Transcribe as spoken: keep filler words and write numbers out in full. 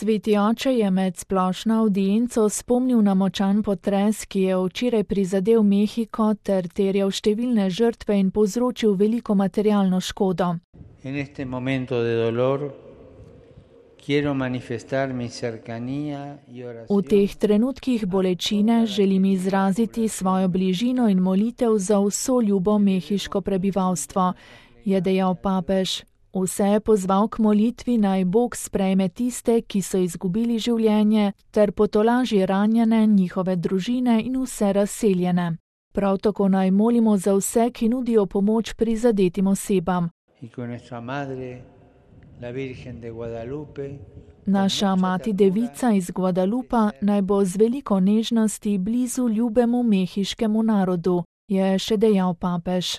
Sveti oče je med splošno avdienco spomnil na močan potres, ki je včeraj prizadel Mehiko ter terjal številne žrtve in povzročil veliko materialno škodo. En este momento de dolor quiero manifestar mi cercanía y oración. V teh trenutkih bolečine želim izraziti svojo bližino in molitev za vso ljubo mehiško prebivalstvo, je dejal papež. Vse je pozval k molitvi, naj Bog sprejme tiste, ki so izgubili življenje, ter potolaži ranjene, njihove družine in vse razseljene. Prav tako naj molimo za vse, ki nudijo pomoč prizadetim osebam. Naša mati Devica iz Guadalupa naj bo z veliko nežnosti blizu ljubemu mehiškemu narodu, je še dejal papež.